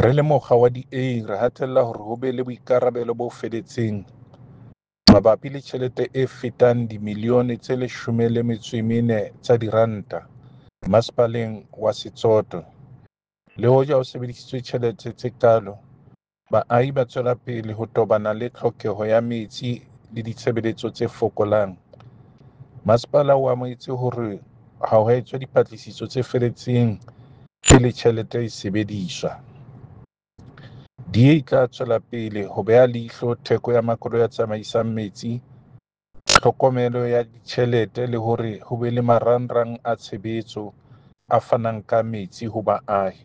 Re le mokga wa DA re hatella hore ho be le boikarabelo bo feletseng mabapi le tjhelete e fetang dimilione tse 14 tsa diranta Masepaleng wa Setsoto. Le hoja ho sebedisitswe tjhelete tse kalo, baahi ba tswela pele ho tobana le tlhokeho ya metsi le ditshebeletso tse fokolang. Masepala o amohetse hore ha ho etswa dipatlisiso tse feletseng pele tjhelete e sebediswa. DA e tla tswela pele ho beha leihlo theko ya makoloi a tsamaisang metsi, tlhokomelo ya ditjhelete le hore ho be le marangrang a tshebetso a fanang ka metsi ho baahi.